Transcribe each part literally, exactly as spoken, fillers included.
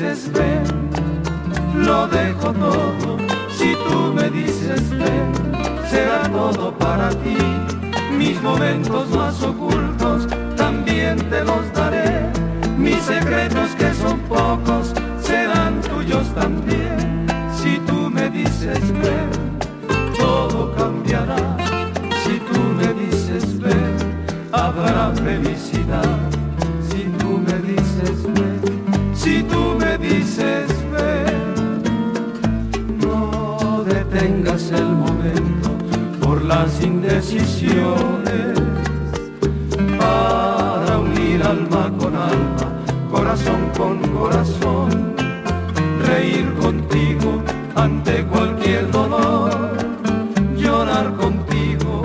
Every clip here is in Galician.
dices ven, lo dejo todo. Si tú me dices ven, será todo para ti. Mis momentos más ocultos también te los daré. Mis secretos que son pocos serán tuyos también. Si tú me dices ven, todo cambiará. Si tú me dices ven, habrá felicidad. Si tú me dices ven, si tú me dices ven, no detengas el momento por las indecisiones, para unir alma con alma, corazón con corazón, reír contigo ante cualquier dolor, llorar contigo,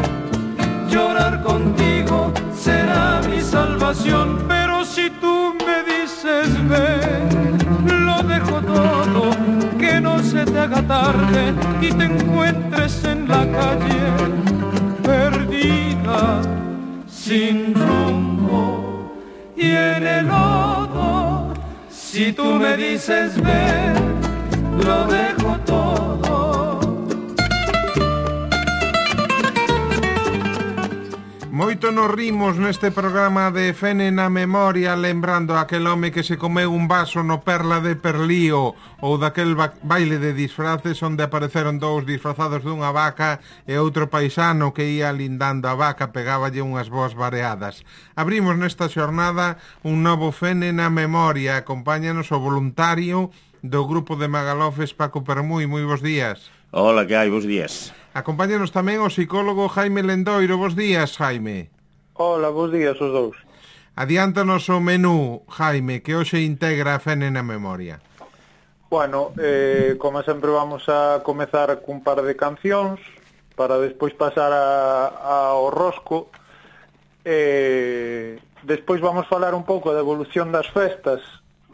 llorar contigo será mi salvación. Pero si tú me dices ven, lo dejo todo, que no se te haga tarde y te encuentres en la calle perdida, sin rumbo y en el lodo. Si tú me dices ven, lo dejo todo. Moito nos rimos neste programa de Fene na Memoria, lembrando aquel home que se comeu un vaso no Perla de Perlío, ou daquel ba baile de disfraces onde apareceron dous disfrazados dunha vaca e outro paisano que ia lindando a vaca, pegáballe unhas voz vareadas. Abrimos nesta xornada un novo Fene na Memoria. Acompáñanos o voluntario do grupo de Magalofes, Paco Permui. Moi bons días. Hola, que hai? Bos días. Acompáñanos tamén o psicólogo Jaime Lendoiro. Bos días, Jaime. Hola, bos días os dous. Adiántanos o menú, Jaime, que hoxe integra a Fene na Memoria. Bueno, eh, como sempre vamos a comezar cun par de cancións para despois pasar a, ao rosco. Eh, despois vamos falar un pouco da evolución das festas,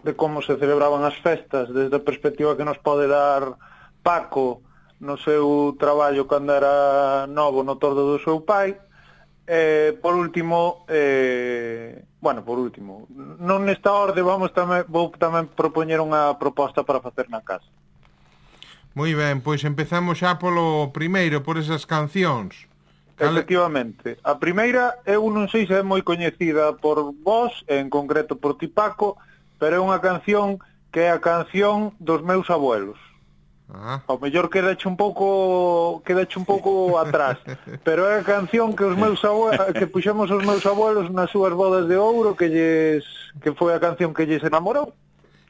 de como se celebraban as festas desde a perspectiva que nos pode dar Paco no seu traballo cando era novo no tordo do seu pai. Eh, por último, eh, bueno, por último, non nesta orde, vamos tamén, vou tamén propoñer unha proposta para facer na casa. Moi ben, pois empezamos xa polo primeiro, por esas cancións. Cale... Efectivamente. A primeira, eu non sei se é moi coñecida por vos, en concreto por ti, Paco, pero é unha canción que é a canción dos meus abuelos. Ah. Ao mellor quedache un pouco quedache un pouco atrás, pero é a canción que os meus abuelos, que puxemos os meus abuelos nas súas bodas de ouro, que lles que foi a canción que lles enamorou.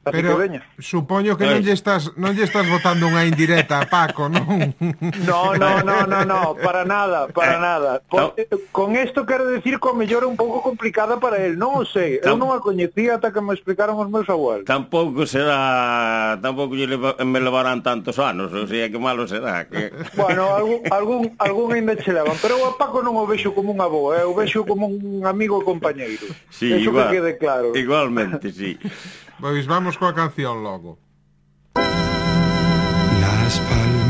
Así pero que veña. Supoño que non lle estás non lle estás botando unha indirecta a Paco, non? No, no, no, no, no, para nada, para nada. Por, eh, con isto quero decir que o mellor é un pouco complicada para el, non o sei. Eu non a coñecía ata que me explicaron os meus abuelos. Tampouco será, tampouco lle leva, me levarán tantos anos, o sea, que malo será. Que... Bueno, algún algún algún ainda che levan, pero eu a Paco non o vexo como un avó, eh, o vexo como un amigo e compañeiro. Sí, eso igual, que quede claro. Igualmente, sí. Pois vamos coa canción logo. Las palmeras,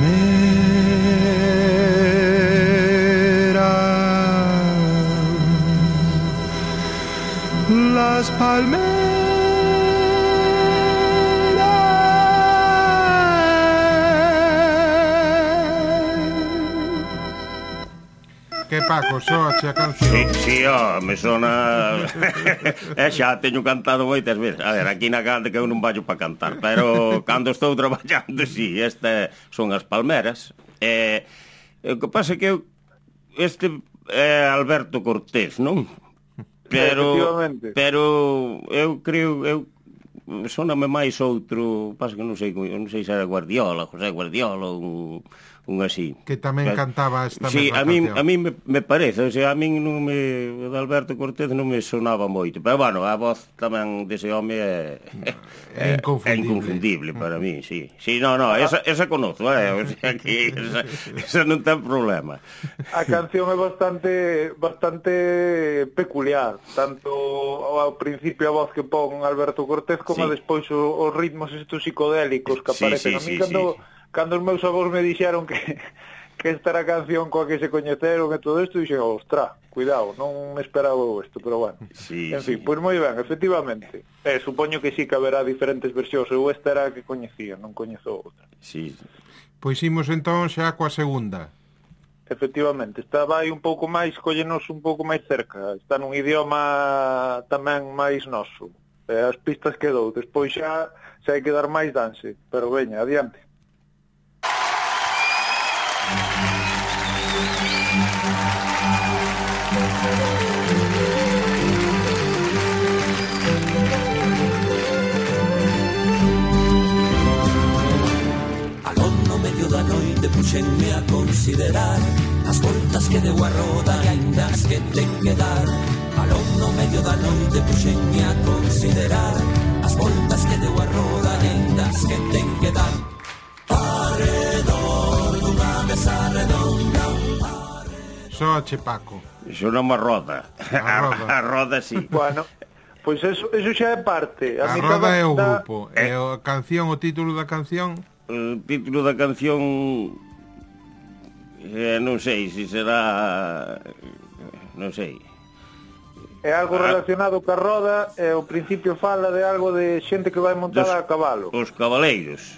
las palmeras. Que Paco, soache a canción? Sí, sí, ó, me sona... eh, xa teño cantado moitas veces. A ver, aquí na cante que eu non vallo para cantar, pero cando estou traballando, sí, este son as palmeras. Eh, o que pasa é que eu, este é Alberto Cortés, non? Pero, pero eu creo, eu soname máis outro, pasa que non sei, non sei se era Guardiola, José Guardiola, un... un así. Que tamén pero, cantaba esta sí, mesma a mí, canción. a mí me, me parece, o sea, a mí non me, o de Alberto Cortés non me sonaba moito, pero bueno, a voz tamén dese home é, é, é, inconfundible. é inconfundible para mí, sí. Sí, no, no, esa, esa conozo, eh, o sea, que esa, esa non ten problema. A canción é bastante bastante peculiar, tanto ao principio a voz que pon Alberto Cortés como sí. Despois os ritmos estos psicodélicos que aparecen. Sí, sí, a mí sí, cando... Sí. Cando os meus avós me dixeron que, que esta era a canción coa que se coñeceron e todo isto, dixen, ostra, cuidado, non esperaba isto, pero bueno. Sí, en fin, sí. pois moi ben, efectivamente. Eh, supoño que sí que haberá diferentes versións, eu esta era a que coñecía, non coñezo outra. Sí. Pois imos entón xa coa segunda. Efectivamente, está vai un pouco máis, collenos un pouco máis cerca, está nun idioma tamén máis noso. Eh, as pistas que dou, despois xa, xa hai que dar máis danse, pero veña, adiante. Puxenme a considerar as voltas que deu a roda e ainda as que ten que dar. Alón no medio da noite puxenme a considerar as voltas que deu a roda e ainda as que ten que dar. Arredor dunha mesa redonda. Só che, Paco. Iso non é roda. A roda. A roda, sí. Bueno, pois eso, eso xa é parte. A mitad roda é o da- grupo. E a canción, o título da canción... O título da canción... Eh, non sei se será... Non sei. É algo relacionado ca roda e ao principio fala de algo de xente que vai montada Dos- a cabalo. Os cabaleiros.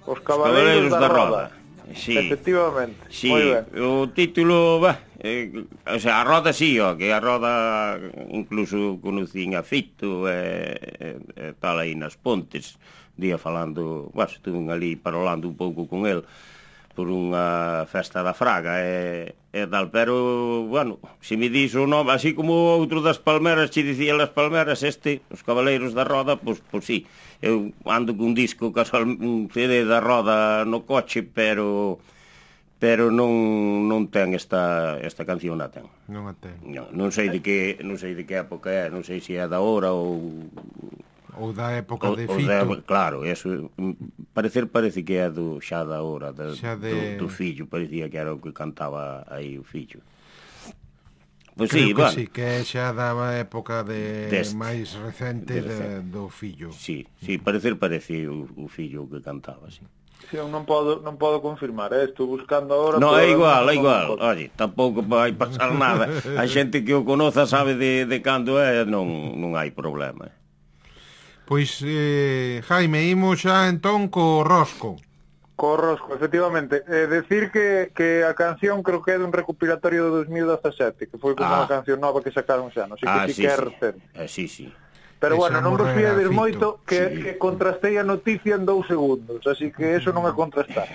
Os cabaleiros da, roda. Sí. Efectivamente. Sí, Moi ben. o título, bah, eh, o sea, a roda sí, ó, que a roda incluso conocín a Fito e, e, e tal aí nas Pontes, día falando, bah, estuve ali parolando un pouco con el por unha festa da Fraga e, e tal, pero, bueno, se me dis o nome, así como outro das Palmeras, che dicía las Palmeras, este, os Cabaleiros da Roda, pois, pois sí, eu ando cun disco, casual, un C D da Roda no coche, pero pero non non ten esta esta canción, non ten. Non a ten. Non, non sei de que non sei de que época é, non sei se é da hora ou Ou da época o, de o Fito. de, claro, eso parecer parece que é do xa da hora da, Xa de- do, do fillo, parecía que era o que cantaba aí o fillo. Pois Creo sí, que bueno. sí, que xa daba época de Deste. máis recente De de, recente. do fillo. Sí, sí, parecer parecía o, o fillo o que cantaba, sí. Si, eu non podo non podo confirmar, eh? Estou buscando agora. No, pero é igual, non- é non igual. podo. Oye, tampouco vai pasar nada. A xente que o conoza sabe de, de cando é, non, non hai problema. Pois, eh, Jaime, imos xa entón co Rosco. Co Rosco, efectivamente. Eh, decir que, que a canción creo que é dun recopilatorio de dos mil dezasete, que foi como Ah. unha canción nova que sacaron xa, non sei Ah, que sí, sí que é sí. recente. Eh, sí, sí. Pero Esa bueno, non vos morrera fiades Fito. moito que, Sí. que contrastei a noticia en dous segundos, así que eso non é contrastar.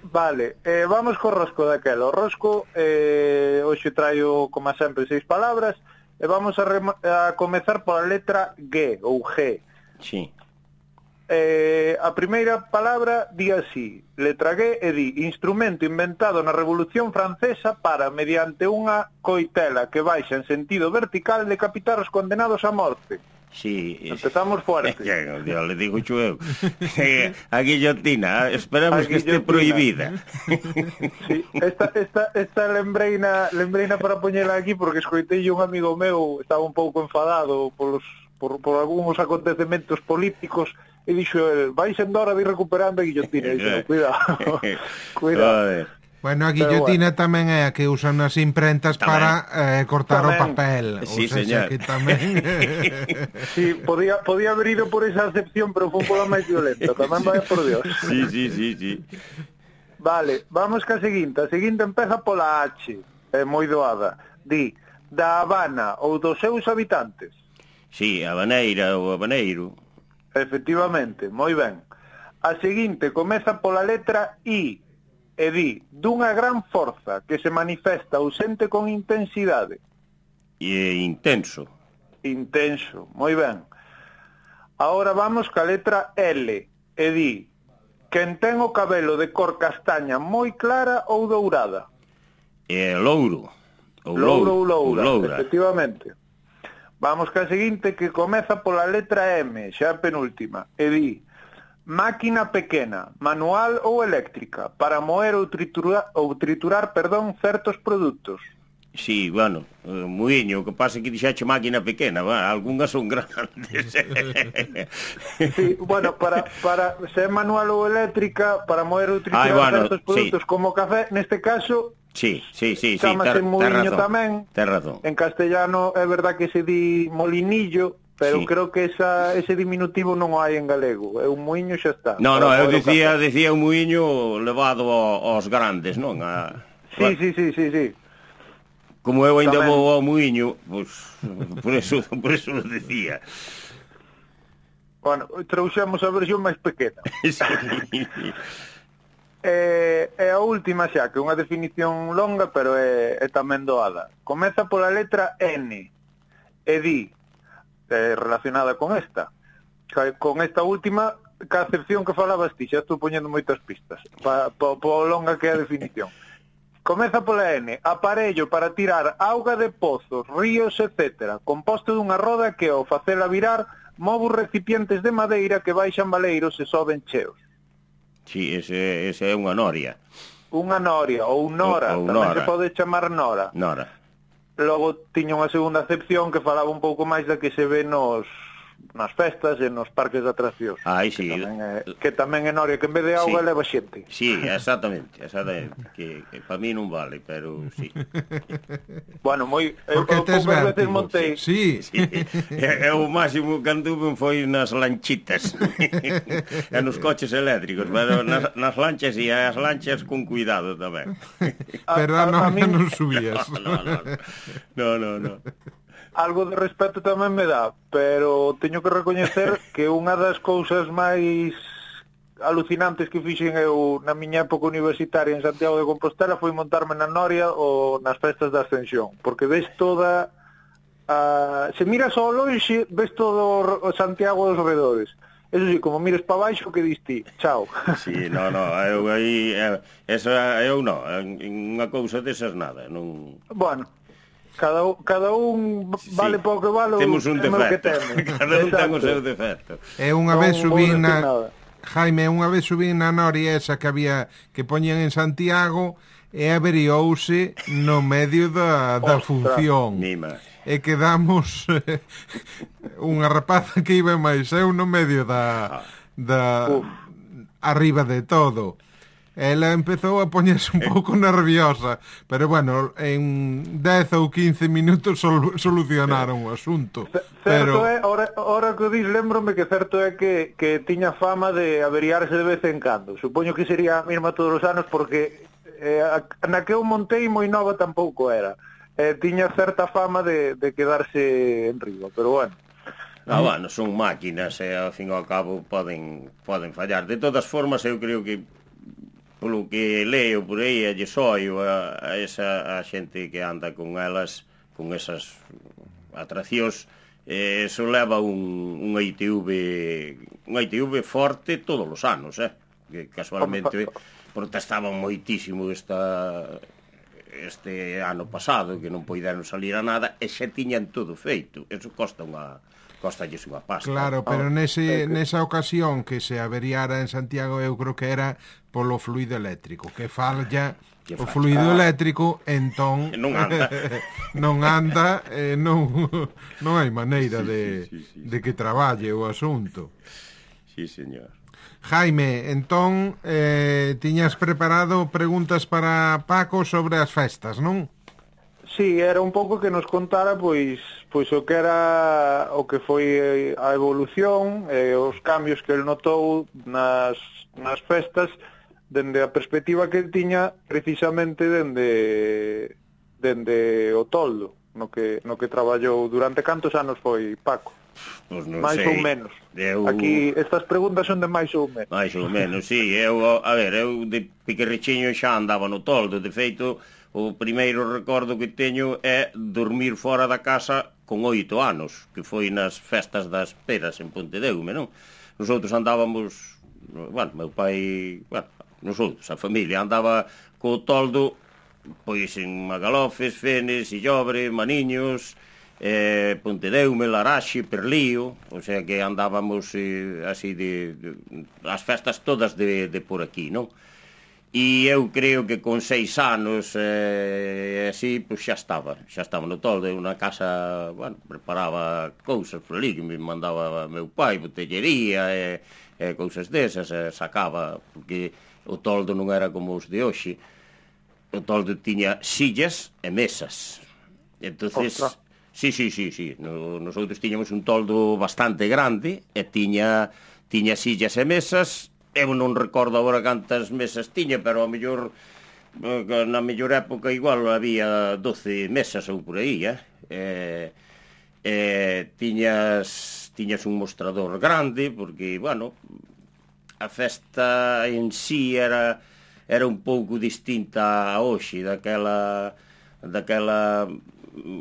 Vale, eh, vamos co Rosco daquela. O Rosco, eh, hoxe traio, como sempre, seis palabras, e vamos a, rema- a comezar pola letra G, ou G. Sí. Eh, a primeira palabra di así, letra G, e di instrumento inventado na Revolución Francesa para, mediante unha coitela que baixa en sentido vertical, decapitar os condenados a morte. Sí. Empezamos fuerte. Ya, ya le digo yo eu. A guillotina, esperamos A que esté guillotina. prohibida. Sí, esta, esta, esta lembreina, lembreina para poñela aquí porque escoitei un amigo meu, estaba un pouco enfadado polos, por, por algúns acontecementos políticos e dixo el, vai sendo hora de ir recuperando a guillotina. E dixo, cuidado, cuidado. Joder. Bueno, a guillotina bueno. tamén é a que usan nas imprentas Tamén. para eh, cortar Tamén. o papel. Sí, o sea, señor. que tamén... Sí, podía, podía haber ido por esa acepción, pero foi un pola máis violenta. Tamén vai por Dios. Sí, sí, sí, sí. Vale, vamos ca seguinte. A seguinte empeza pola H, é moi doada. Di, da Habana ou dos seus habitantes. Sí, a baneira ou a baneiro. Efectivamente, moi ben. A seguinte comeza pola letra I, e di, dunha gran forza que se manifesta ausente con intensidade. E é intenso. Intenso, moi ben. Ahora vamos ca letra L, e di, quen ten o cabelo de cor castaña moi clara ou dourada. E é louro. Ou Louro ou loura. loura, efectivamente. Vamos ca seguinte que comeza pola letra M, xa a penúltima, e di, máquina pequena, manual ou eléctrica, para moer ou triturar, ou triturar perdón, certos produtos. Sí, bueno, eh, muiño, o que pasa é que dixache máquina pequena, va, algunhas son grandes. Sí, bueno, para, para ser manual ou eléctrica, para moer ou triturar Ai, bueno, certos produtos sí. como o café, neste caso, Sí, sí, sí, sí, Chámase ter, muiño ter tamén. Ter razón. En castellano é verdad que se di molinillo, pero sí. creo que esa, ese diminutivo non o hai en galego. É un muiño xa está. No, no, eu dicía, dicía un muiño levado aos grandes, non? A, sí, bueno, sí, sí, sí, sí. Como eu ainda tamén vou ao muiño, pois, por eso, por eso lo decía. Bueno, trouxemos a versión máis pequena. Sí. É, é a última xa, que é unha definición longa, pero é, é tamén doada. Comeza pola letra N e di, é, relacionada con esta, con esta última, ca acepción que falabas ti, xa estou poñendo moitas pistas, pa, pa, pa longa que é a definición. Comeza pola N, aparello para tirar auga de pozos, ríos, etcétera, composto dunha roda que ao facela virar move os recipientes de madeira que baixan baleiros e soben cheos. Sí, ese, ese é unha noria. Unha noria, ou nora, ou, ou tamén nora. Se pode chamar nora. Nora. Logo tiña unha segunda acepción que falaba un pouco máis da que se ve nos nas festas e nos parques de atraccións. Ai, sí. Que tamén é, que tamén é noria, que en vez de auga sí. leva xente. Sí, exactamente, exactamente. que, que para mí non vale, pero sí. Bueno, moi... Eu, eu poucas veces montei... Sí. sí. E, e o máximo que anduve foi nas lanchitas. E nos coches eléctricos, pero nas, nas lanchas e as lanchas con cuidado tamén. Pero a, a, non, a mí... non subías. No, no, no. no, no, no. Algo de respeto tamén me dá, pero teño que recoñecer que unha das cousas máis alucinantes que fixen eu na miña época universitaria en Santiago de Compostela foi montarme na Noria ou nas festas da Ascensión, porque ves toda a... se miras ao lonxe, ves todo o Santiago dos redores. Eso sí, como mires para baixo, que diste, chao. Sí, no, no, eu aí, esa, eu non, unha cousa desas nada, non... Bueno, Cada, cada un vale sí. Pouco que vale. Temos un defecto. Que temos. Cada un ten o seu defecto. É unha vez subín na Jaime, unha vez subín na Noria esa que había que poñían en Santiago e averiouse no medio da, da función. Mima. E quedamos unha rapaza que iba máis eu no medio da da Uf. Arriba de todo. Ela empezou a poñerse un pouco nerviosa, pero bueno, en dez ou quince minutos sol, solucionaron o asunto. C pero... Certo é, ora, ora que o dis, lembrome que certo é que, que tiña fama de averiarse de vez en cando. Supoño que sería a mesma todos os anos, porque eh, na que eu montei moi nova tampouco era. Eh, tiña certa fama de, de quedarse en riba, pero bueno. Ah, bueno, son máquinas e ao fin e ao cabo poden, poden fallar. De todas formas, eu creo que polo que leo por aí e lle soio a, a esa a xente que anda con elas, con esas atraccións, eh, eso leva un, un I T V un I T V forte todos os anos, eh? Que casualmente protestaban moitísimo esta este ano pasado, que non poideron salir a nada e xa tiñan todo feito. Eso costa unha costalles unha pasta. Claro, pero nese, nesa ocasión que se averiara en Santiago eu creo que era polo fluido eléctrico, que falla o fluido ah. eléctrico, entón non anda non anda eh, non, non hai maneira de, sí, sí, sí, sí. de que traballe o asunto. Sí, señor. Jaime, entón eh, tiñas preparado preguntas para Paco sobre as festas, non? Sí, era un pouco que nos contara pois pois o que era o que foi a evolución e os cambios que el notou nas nas festas dende a perspectiva que tiña precisamente dende dende o toldo, no que no que traballou durante cantos anos foi Paco. Pues non máis sei. ou menos. Eu... Aquí estas preguntas son de máis ou menos. Mais ou menos, sí. Eu, a ver, eu de piquerrichiño xa andaba no toldo. De feito, o primeiro recordo que teño é dormir fora da casa con oito anos, que foi nas festas das peras en Pontedeume, non? Nosotros andábamos, bueno, meu pai, bueno, nosotros, a familia, andaba co toldo, pois en Magalofes, Fenes, Illobre, Maniños, eh, Pontedeume, Laraxe, Perlío, o sea que andábamos eh, así de, de as festas todas de, de por aquí, non? E eu creo que con seis anos eh, así, pois xa estaba xa estaba no toldo, unha casa, bueno, preparaba cousas por ali que me mandaba meu pai, botellería e, e cousas desas, e sacaba, porque o toldo non era como os de hoxe. o toldo tiña sillas e mesas. Entonces, Ostra. sí, sí, sí, sí, no, nosotros tiñamos un toldo bastante grande e tiña tiña sillas e mesas. Eu non recordo agora cantas mesas tiña, pero a mellor na mellor época igual había doce mesas ou por aí, eh? Eh, eh, tiñas tiñas un mostrador grande, porque, bueno, a festa en sí era era un pouco distinta a hoxe, daquela daquela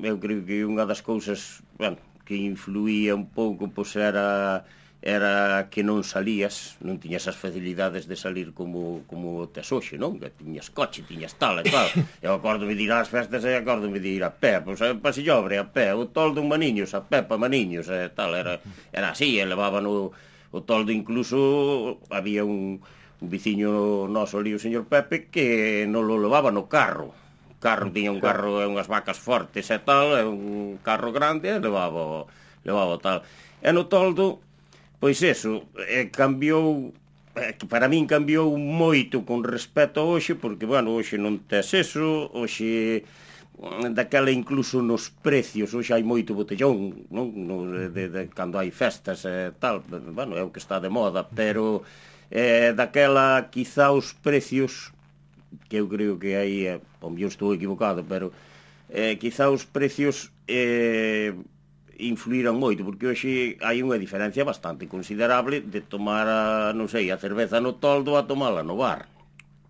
eu creo que unha das cousas, bueno, que influía un pouco, pois era era que non salías, non tiñas as facilidades de salir como como tes hoxe, non? Que tiñas coche, tiñas tal e tal. Eu acórdome de ir ás festas e acórdome de ir a pé, pois a Pasillobre a pé, o toldo en Maniños a pé pa Maniños e tal, era era así, e levaban o, o toldo, incluso había un, un veciño noso ali, o señor Pepe, que non lo levaba no carro. O carro tiña un carro e unhas vacas fortes e tal, e un carro grande e levaba levaba tal. E no toldo, pois eso, eh, cambiou, eh, para min cambiou moito con respecto a hoxe, porque, bueno, hoxe non tes eso, hoxe daquela incluso nos precios, hoxe hai moito botellón, non? No, de, de, de, cando hai festas e tal, bueno, é o que está de moda, pero eh, daquela quizá os precios, que eu creo que aí, eh, o mellor estou equivocado, pero eh, quizá os precios eh, influíran moito, porque hoxe hai unha diferencia bastante considerable de tomar, a, non sei, a cerveza no toldo a tomala no bar.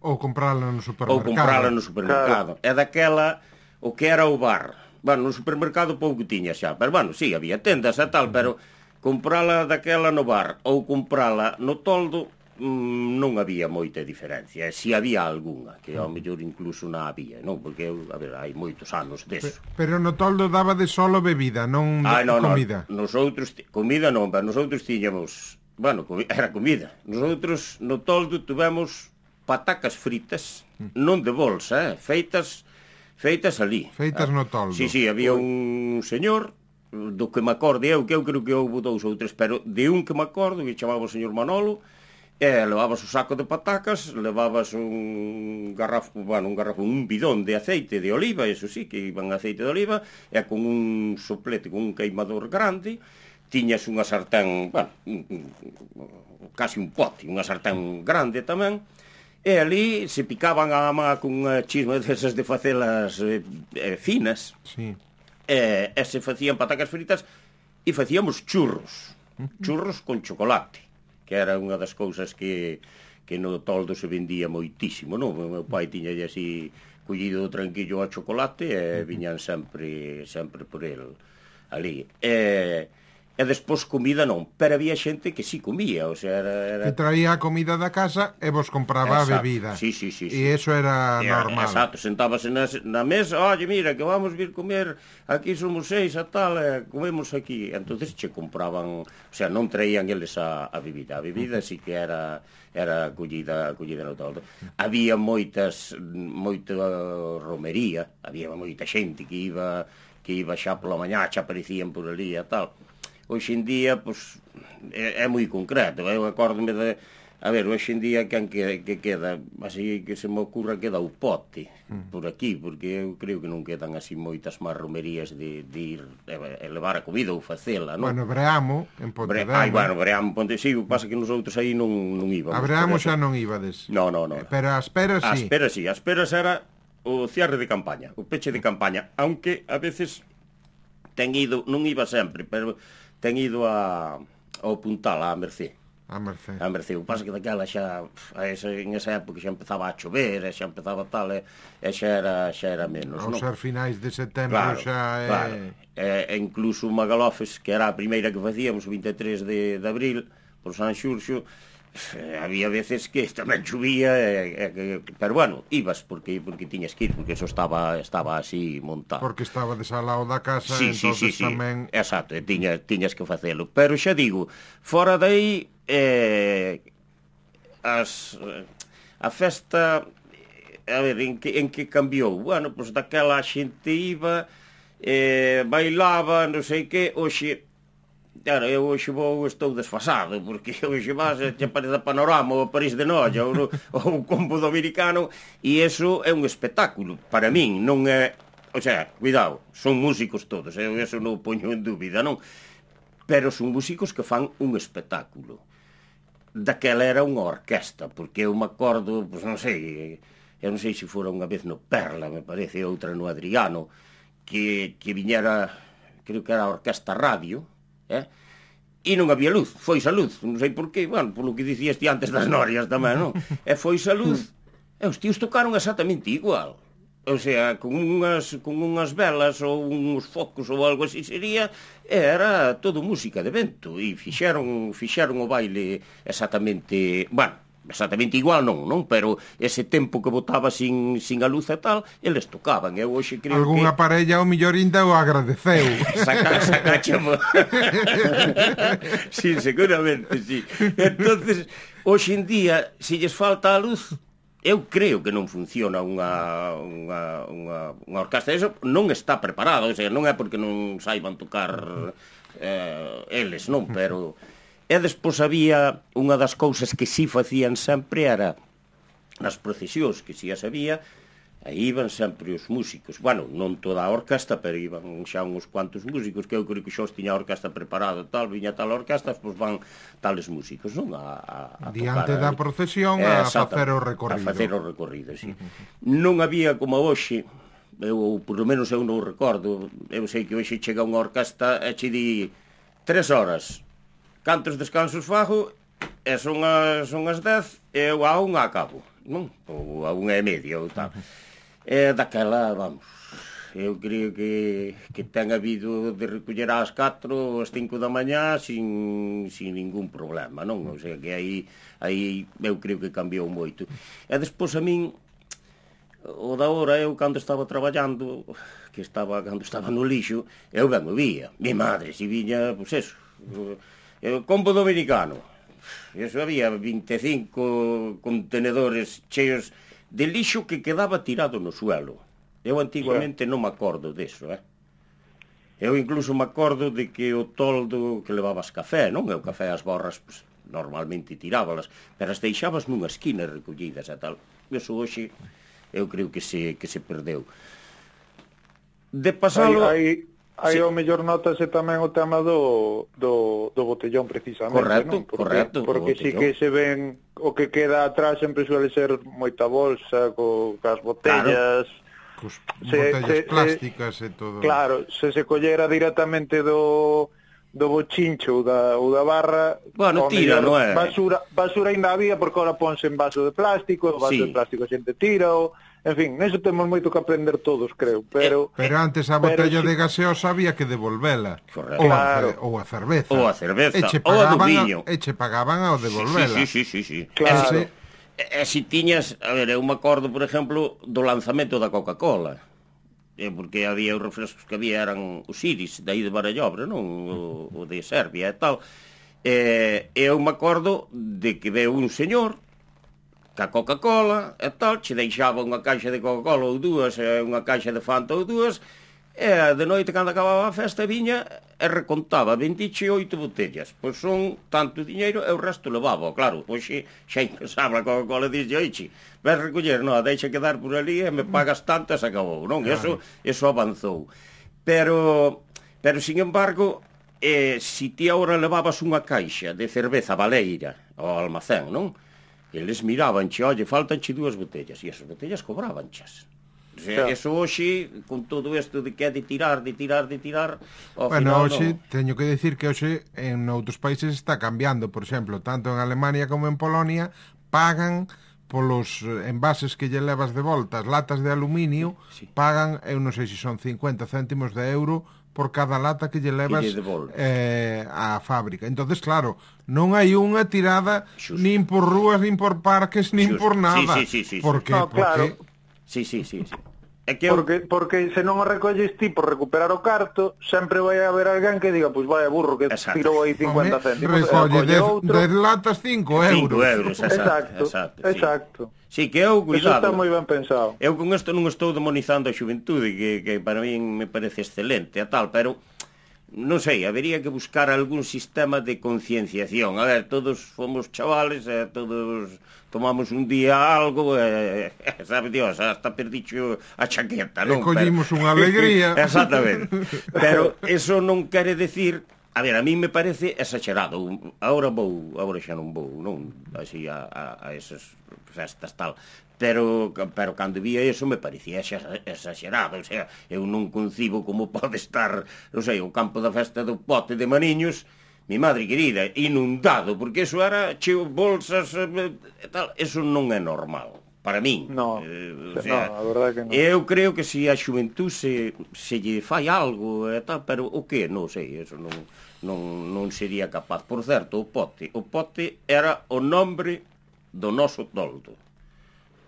Ou comprala no supermercado. Ou comprala no supermercado. Claro. É daquela o que era o bar. Bueno, no supermercado pouco tiña xa, pero, bueno, sí, había tendas e tal, pero comprala daquela no bar ou comprala no toldo, mmm, non había moita diferencia. E si había algunha, que ao mellor incluso non había, non? Porque, a ver, hai moitos anos deso. Pero no toldo daba de solo bebida, non ah, no, comida. No, nosotros, comida non, pero nosotros tiñamos, bueno, era comida. Nosotros no toldo tuvemos patacas fritas, non de bolsa, eh, feitas feitas ali. Feitas no toldo. Sí, sí, había un señor do que me acorde eu, que eu creo que houve dous ou tres, pero de un que me acordo, que chamaba o señor Manolo. E levabas o saco de patacas, levabas un garrafo, bueno, un garrafo, un bidón de aceite de oliva, eso sí, que iban aceite de oliva, e con un soplete, con un queimador grande, tiñas unha sartén, bueno, un, un, casi un pote, unha sartén grande tamén, e ali se picaban a má con unha chisma desas de facelas eh, eh, finas, sí. e, e se facían patacas fritas, e facíamos churros, churros con chocolate, que era unha das cousas que, que no toldo se vendía moitísimo, non? O meu pai tiña así collido o tranquillo a chocolate e viñan sempre sempre por el ali. E, e despois comida non, pero había xente que sí comía, o sea, era... era... que traía a comida da casa e vos compraba exacto, a bebida. Sí, sí, sí, sí. E eso era e, normal. Exacto, sentábase na, na mesa, oye, mira, que vamos vir comer, aquí somos seis a tal, e comemos aquí. Entonces che compraban, o sea, non traían eles a, a bebida. A bebida sí que era era collida, collida no toldo. Había moitas, moita romería, había moita xente que iba que iba xa pola mañá, xa aparecían por ali e tal. Hoxe en día, pois, é, é moi concreto. Eu acórdome de... A ver, hoxe en día, quen que, que queda? Así que se me ocurra, queda o pote por aquí, porque eu creo que non quedan así moitas máis romerías de, de ir e levar a comida ou facela, non? Bueno, Breamo, en Pontedera. Ai, bueno, Breamo, Ponte... Sí, o que pasa que nosotros aí non, non íbamos. A Breamo xa non íbades. No, no, no. Pero a Esperas sí. A Esperas sí, a Esperas era o cierre de campaña, o peche de campaña, aunque a veces ten ido, non iba sempre, pero ten ido a, ao Puntal, a Mercé. A Mercé. A Mercé. O que pasa que daquela xa, a esa, en esa época xa empezaba a chover, e xa empezaba tal, e, e xa, era, xa era menos. Ao non? ser finais de setembro claro, xa é... Claro. E, e incluso o Magalofes, que era a primeira que facíamos, o vinte e tres de, de abril, por San Xurxo, eh, había veces que tamén chovía, e, e, pero bueno, ibas porque porque tiñas que ir, porque eso estaba estaba así montado. Porque estaba desalado da casa, sí, entonces sí, sí, tamén... Sí. Exacto, e tiñas, tiñas que facelo. Pero xa digo, fora dai, eh, as, a festa, a ver, en que, en que cambiou? Bueno, pois pues, daquela a xente iba, eh, bailaba, non sei que, hoxe... Claro, eu hoxe vou, estou desfasado, porque hoxe vas, che parece Panorama ou París de Noia ou, ou o Combo Dominicano, e eso é un espectáculo, para min, non é... O sea, cuidado, son músicos todos, eu eso non poño en dúbida, non? Pero son músicos que fan un espectáculo. Daquela era unha orquesta, porque eu me acordo, pois non sei, eu non sei se fora unha vez no Perla, me parece, outra no Adriano, que, que viñera, creo que era a Orquesta Radio, eh? E non había luz, foi a luz, non sei por qué, bueno, polo que dicías ti antes das norias tamén, non? E foi a luz, e os tíos tocaron exactamente igual. O sea, con unhas, con unhas velas ou uns focos ou algo así sería, era todo música de vento, e fixeron, fixeron o baile exactamente, bueno, exactamente igual non, non? Pero ese tempo que botaba sin, sin a luz e tal, eles tocaban. Eu hoxe creo Algúnha que... parella o millor ainda o agradeceu. Saca, sacáchamo. Sí, seguramente, sí. Entonces, hoxe en día, se lles falta a luz, eu creo que non funciona unha, unha, unha, unha orquestra. Eso non está preparado, o sea, non é porque non saiban tocar eh, eles, non, pero... E despois había unha das cousas que si facían sempre era nas procesións, que si as había, aí iban sempre os músicos. Bueno, non toda a orquesta, pero iban xa uns cuantos músicos, que eu creo que xa os tiña a orquesta preparada, tal, viña tal orquesta, pois van tales músicos, non? A, a, a diante tocar, da procesión a facer o recorrido. A facer o recorrido, sí. Non había como hoxe, eu, por lo menos eu non recordo, eu sei que hoxe chega unha orquesta e che di tres horas, cantos descansos fago, e son as, son as dez, e eu a unha acabo, non? Ou a unha e media, ou tal. E daquela, vamos, eu creo que, que ten habido de recoller ás catro ou ás cinco da mañá sin, sin ningún problema, non? O sea, que aí, aí eu creo que cambiou moito. E despois a min, o da hora, eu cando estaba traballando, que estaba, cando estaba no lixo, eu ben o vía. Mi madre, se viña, pois eso... O Combo Dominicano, eso había vinte e cinco contenedores cheos de lixo que quedaba tirado no suelo. Eu antiguamente non me acordo deso, eh? Eu incluso me acordo de que o toldo que levabas café, non? E o café as borras, pues, normalmente tirábalas, pero as deixabas nunha esquina recollidas e tal. Eso hoxe eu creo que se, que se perdeu. De pasalo... Hai, hai... Aí sí. Ao mellor notase tamén o tema do, do, do botellón, precisamente. Correcto, non? Porque, correcto. Porque sí que se ven, o que queda atrás sempre suele ser moita bolsa, co, cas botellas... Claro. Cos botellas se, plásticas se, e todo. Claro, se se collera directamente do, do bochincho ou da, ou da barra... Bueno, tira, non é? Basura, basura ainda había, porque ahora ponse en vaso de plástico, o vaso sí. de plástico a xente tira, ou... En fin, neso temos moito que aprender todos, creo, pero... Pero antes a botella de gaseosa había que devolvela. Correcto. Ou, claro. a, ou a cerveza. Ou a cerveza, ou a do viño. E che pagaban ao devolvela. Sí, sí, sí, sí, sí. Claro. E, e, e si tiñas, a ver, eu me acordo, por exemplo, do lanzamento da Coca-Cola. Eh, porque había os refrescos que había eran os Iris, daí de Barallobre, non? O, o de Serbia e tal. E eu me acordo de que veu un señor ca Coca-Cola e tal, che deixaba unha caixa de Coca-Cola ou dúas, e unha caixa de Fanta ou dúas, e de noite, cando acababa a festa, viña e recontaba vinte e oito botellas. Pois son tanto diñeiro e o resto levaba. Claro, pois xe, xa impensaba a Coca-Cola e dixe, oixe, ves recoller, non, deixa quedar por ali e me pagas tanto e se acabou, non? Eso, eso avanzou. Pero, pero sin embargo, eh, si ti agora levabas unha caixa de cerveza baleira ao almacén, non? Eles mirabanche, oye, faltanche dúas botellas, e as botellas cobrabanchas. O sea, claro. Eso hoxe, con todo isto de que é de tirar, de tirar, de tirar... Bueno, final, hoxe, no... teño que decir que hoxe en outros países está cambiando, por exemplo, tanto en Alemania como en Polonia, pagan polos envases que lle levas de volta, as latas de aluminio, sí. Pagan, eu non sei se son cincuenta céntimos de euro por cada lata que lle levas que eh, á fábrica. Entonces, claro, non hai unha tirada Xusto. Nin por rúas, nin por parques, nin Xusto. Por nada. Sí, sí, sí, sí, porque, no, claro. Porque... Sí, sí, sí, sí. É que porque, eu... porque se non o recolles ti por recuperar o carto, sempre vai haber alguén que diga, pois vai burro que exacto. Tirou aí cincuenta céntimos. Recolle dez latas cinco euros. cinco euros, exacto. Exacto, exacto. Sí, que eu, cuidado. Eso está moi ben pensado. Eu con isto non estou demonizando a xuventude, que, que para min me parece excelente a tal, pero non sei, habería que buscar algún sistema de concienciación. A ver, todos fomos chavales, eh, todos tomamos un día algo, eh, sabe Dios, hasta perdicho a chaqueta, non? E collimos unha alegría. Exactamente. Pero eso non quere decir... A ver, a mí me parece exagerado. Agora vou, agora xa non vou, non? Así a, a, a esas festas tal. Pero, pero cando vía eso me parecía exagerado, o sea, eu non concibo como pode estar, non sei, o campo da festa do Pote de Maniños, mi madre querida, inundado, porque eso era cheo bolsas e tal, eso non é normal, para min. No, eh, o sea, no, a verdade que non. Eu creo que se a xuventud se, se lle fai algo e tal, pero o que? Non sei, eso non, non, non sería capaz. Por certo, o Pote, o Pote era o nombre do noso toldo.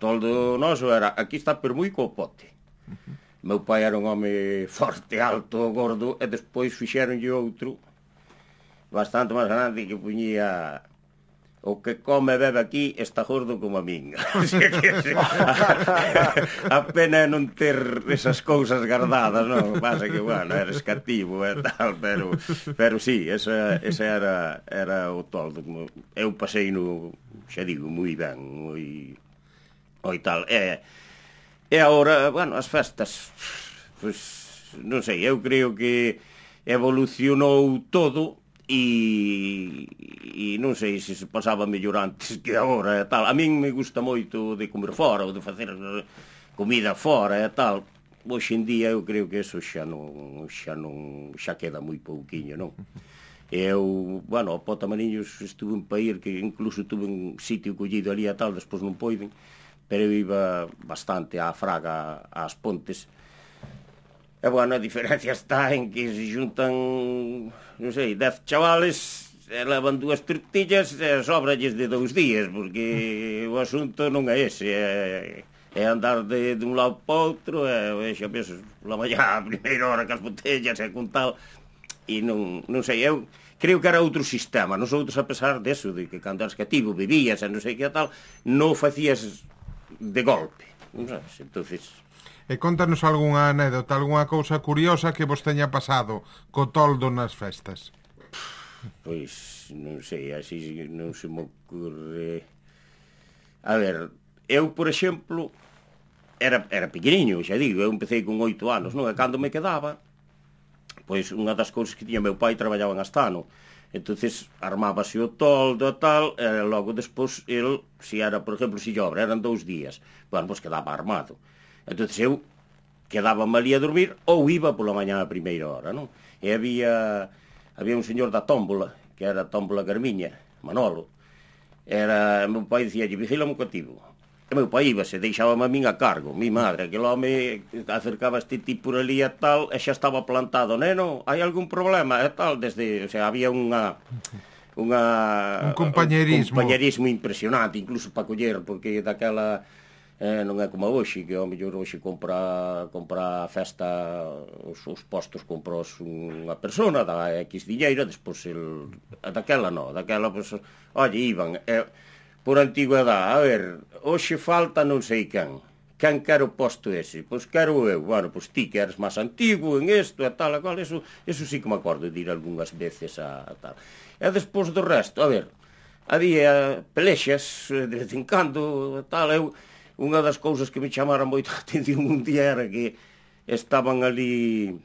Toldo noso era, aquí está Permuico o Pote. Uh-huh. Meu pai era un home forte, alto, gordo, e despois fixeronlle outro bastante máis grande que puñía o que come e bebe aquí está gordo como a min. A pena é non ter esas cousas guardadas, non? Pasa que, bueno, eres cativo e tal, pero, pero sí, esa, esa era, era o toldo. Eu pasei no, xa digo, moi ben, moi... ou tal, e, e agora, bueno, as festas, pois, non sei, eu creo que evolucionou todo e, e non sei se se pasaba mellor antes que agora e tal. A min me gusta moito de comer fora ou de facer comida fora e tal. Hoxe en día eu creo que eso xa non, xa non, xa queda moi pouquiño, non? Eu, bueno, a Pota Maniños estuve en Paír, que incluso tuve un sitio collido ali e tal, despois non poiden, pero eu iba bastante á Fraga, ás Pontes. E, bueno, a diferencia está en que se juntan, non sei, dez chavales, e levan dúas tortillas e sobralles de dous días, porque o asunto non é ese, é, é andar de, de un lado para outro, e xa ves, la mañá, a primeira hora, cas botellas e con tal, e non, non sei, eu creo que era outro sistema. Nosotros, a pesar deso, de que cando eras cativo, vivías e non sei que tal, non facías de golpe, non sabes? Entonces... E contanos algunha anécdota, algunha cousa curiosa que vos teña pasado co toldo nas festas. Pois, non sei, así non se me ocurre... A ver, eu, por exemplo, era, era pequeniño, xa digo, eu empecé con oito anos, non? E cando me quedaba, pois unha das cousas que tiña meu pai traballaba en Astano, entonces armábase o toldo e tal, e logo despois el, se era, por exemplo, se obra, eran dous días, bueno, pois quedaba armado. Entonces eu quedaba ali a dormir ou iba pola mañá a primeira hora, non? E había había un señor da tómbola, que era a tómbola Carmiña, Manolo. Era, meu pai dicía, vigílame o cativo. E meu pai íbase, deixábame a min a cargo, mi madre, aquel home acercaba este tipo por ali e tal, e xa estaba plantado, neno, hai algún problema e tal, desde, o sea, había unha unha un compañerismo, un compañerismo impresionante, incluso para coller, porque daquela eh, non é como hoxe, que ao mellor hoxe compra compra a festa, os, os postos compros unha persona, dá X diñeiro, despois el, daquela non, daquela, pues, oye, iban, eh, por antigüedade, a ver, hoxe falta non sei quen, quen quero posto ese, pois quero eu, bueno, pois ti que eres máis antigo en isto e tal, e cual, eso, eso sí que me acordo de ir algunhas veces a, a tal. E despois do resto, a ver, había pelexas de vez en cando e tal, eu, unha das cousas que me chamaran moito a atención un día era que estaban ali...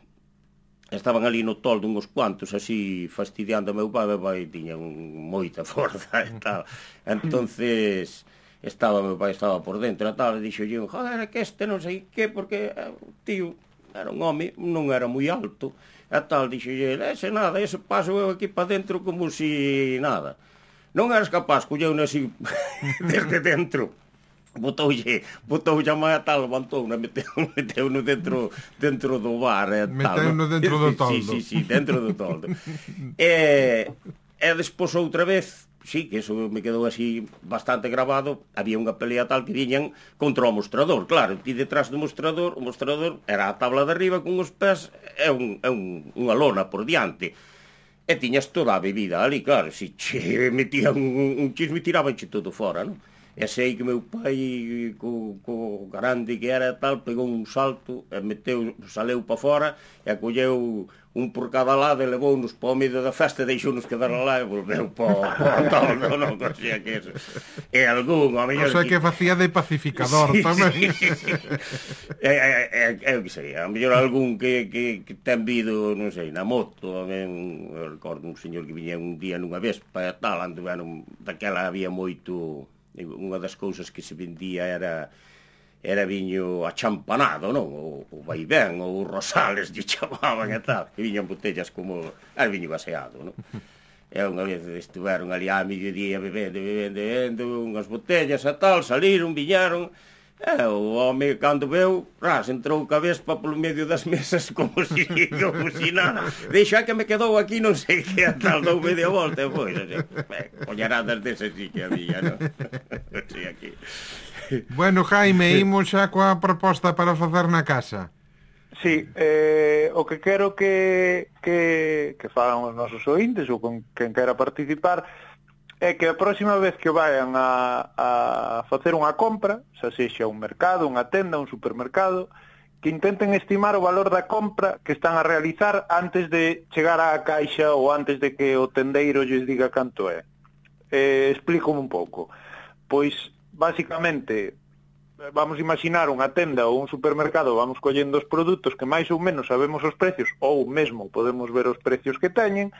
Estaban ali no toldo uns cuantos, así, fastidiando a meu pai, meu pai tiña un, moita forza e tal. Entonces, estaba, meu pai estaba por dentro e tal, e dixo yo, joder, que este non sei que, porque o tío era un home, non era moi alto, e tal, dixo yo, ese nada, ese paso eu aquí para dentro como si nada. Non eras capaz, colleu así desde dentro. Botoulle, botoulle a mãe a tal, levantou-na, meteu-no meteu dentro, dentro do bar e tal. Meteu-no dentro do toldo. Sí, sí, sí, dentro do toldo. e, e despois outra vez, sí, que eso me quedou así bastante grabado, había unha pelea tal que viñan contra o mostrador, claro, ti detrás do mostrador, o mostrador era a tabla de arriba con os pés e, un, e un, unha lona por diante. E tiñas toda a bebida ali, claro, se che metían un, un chisme tirabanche todo fora, non? E sei que meu pai, co, co grande que era tal, pegou un salto, e meteu, saleu pa fora, e colleu un por cada lado e levou-nos pa o medio da festa e deixou-nos quedar lá e volveu pa o tal, non, non, o sea que eso. E algún, a mellor... O sea que facía de pacificador sí, tamén. Sí, sí. É, é, é, o que sei, a mellor algún que, que, que ten vido, non sei, na moto, ben, eu recordo un señor que viña un día nunha vespa e tal, anduveron, daquela había moito... Unha das cousas que se vendía era era viño achampanado, non? O, o vaivén, ou os rosales, lle chamaban e tal. E viñan botellas como... Era viño baseado, non? E unha vez estiveron ali a mediodía bebendo, bebendo, bebendo, unhas botellas e tal, saliron, viñaron... E o home, cando veu, ras, entrou ca vespa polo medio das mesas como si, como si nada. Deixa que me quedou aquí non sei que a tal, dou media volta e foi. Collaradas desas sí que había, non? Sí, aquí. Bueno, Jaime, imos xa coa proposta para facer na casa. Sí, eh, o que quero que, que, que fagan os nosos ointes ou con quen quera participar é que a próxima vez que vayan a, a facer unha compra, xa sexa un mercado, unha tenda, un supermercado, que intenten estimar o valor da compra que están a realizar antes de chegar á caixa ou antes de que o tendeiro lles diga canto é. Eh, explico un pouco. Pois, basicamente, vamos a imaginar unha tenda ou un supermercado, vamos collendo os produtos que máis ou menos sabemos os precios, ou mesmo podemos ver os precios que teñen.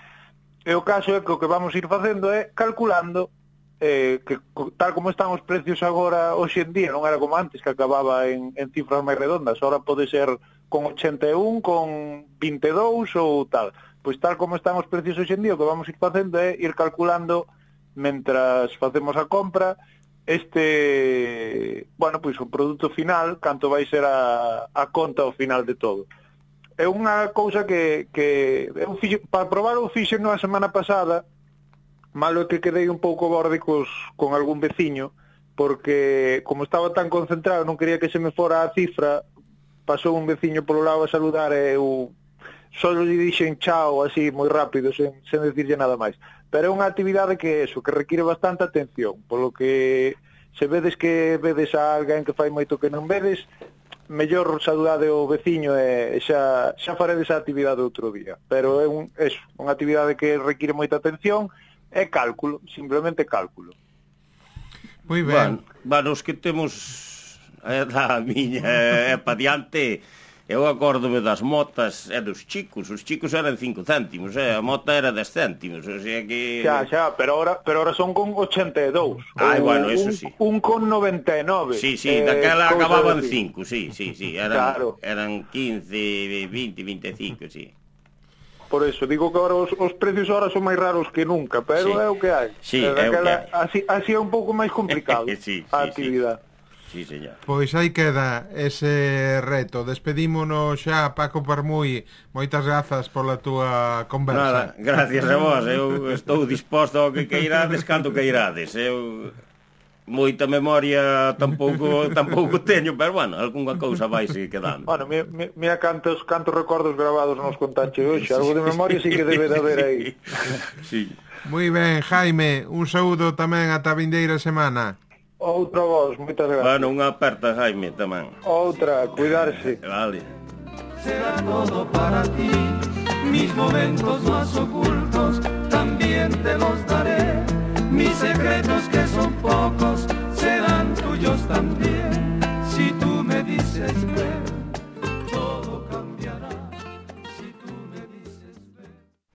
E o caso é que o que vamos ir facendo é calculando eh, que tal como están os precios agora hoxe en día, non era como antes que acababa en, en cifras máis redondas, ahora pode ser con ochenta e un, con vinte e dous ou tal. Pois tal como están os precios hoxe en día, o que vamos ir facendo é ir calculando mentras facemos a compra este, bueno, pois o produto final, canto vai ser a, a conta ao final de todo. É unha cousa que, que eu fixo, para probar o fixo na semana pasada, malo é que quedei un pouco borde cos, con algún veciño, porque como estaba tan concentrado non quería que se me fora a cifra, pasou un veciño polo lado a saludar e eu só lle dixen chao así moi rápido, sen, sen decirlle nada máis. Pero é unha actividade que eso, que require bastante atención, polo que se vedes que vedes a alguén que fai moito que non vedes, mellor saudade o veciño e xa, xa faredes a actividade outro día. Pero é un, eso, unha actividade que require moita atención e cálculo, simplemente cálculo. Moi ben. Bueno, bueno, os que temos a edad miña é pa diante, eu acórdome das motas e dos chicos, os chicos eran cinco céntimos, eh? A mota era dez céntimos, o sea que... Xa, xa, pero ahora, pero ahora son con ochenta e dous. Ai, bueno, eso un, sí. Un con noventa e nove. Sí, sí, eh, daquela acababan cinco, sí, sí, sí, eran, claro. Eran quince, vinte, vinte e cinco, sí. Por eso, digo que ahora os, os precios ahora son máis raros que nunca, pero sí. É o que hai. Sí, é o que hai. Así, así é un pouco máis complicado sí, sí, a actividade. Sí. Sí, señor. Pois aí queda ese reto. Despedímonos xa, Paco Permui. Moitas grazas pola túa conversa. Nada, gracias a vos. Eu estou disposto ao que queirades cando queirades. Eu moita memoria tampouco tampouco teño, pero bueno, algunha cousa vai se quedando. Bueno, mira, mira cantos cantos recordos gravados nos contache hoxe. Algo de memoria sí que debe de haber aí. Sí. Moi ben, Jaime, un saúdo tamén ata a vindeira semana. Outra voz, moitas gracias. Bueno, unha aperta, Jaime, tamén. Outra, cuidarse. Vale. Será todo para ti, mis momentos más ocultos también te los daré. Mis secretos que son pocos serán tuyos también, si tú me dices ven.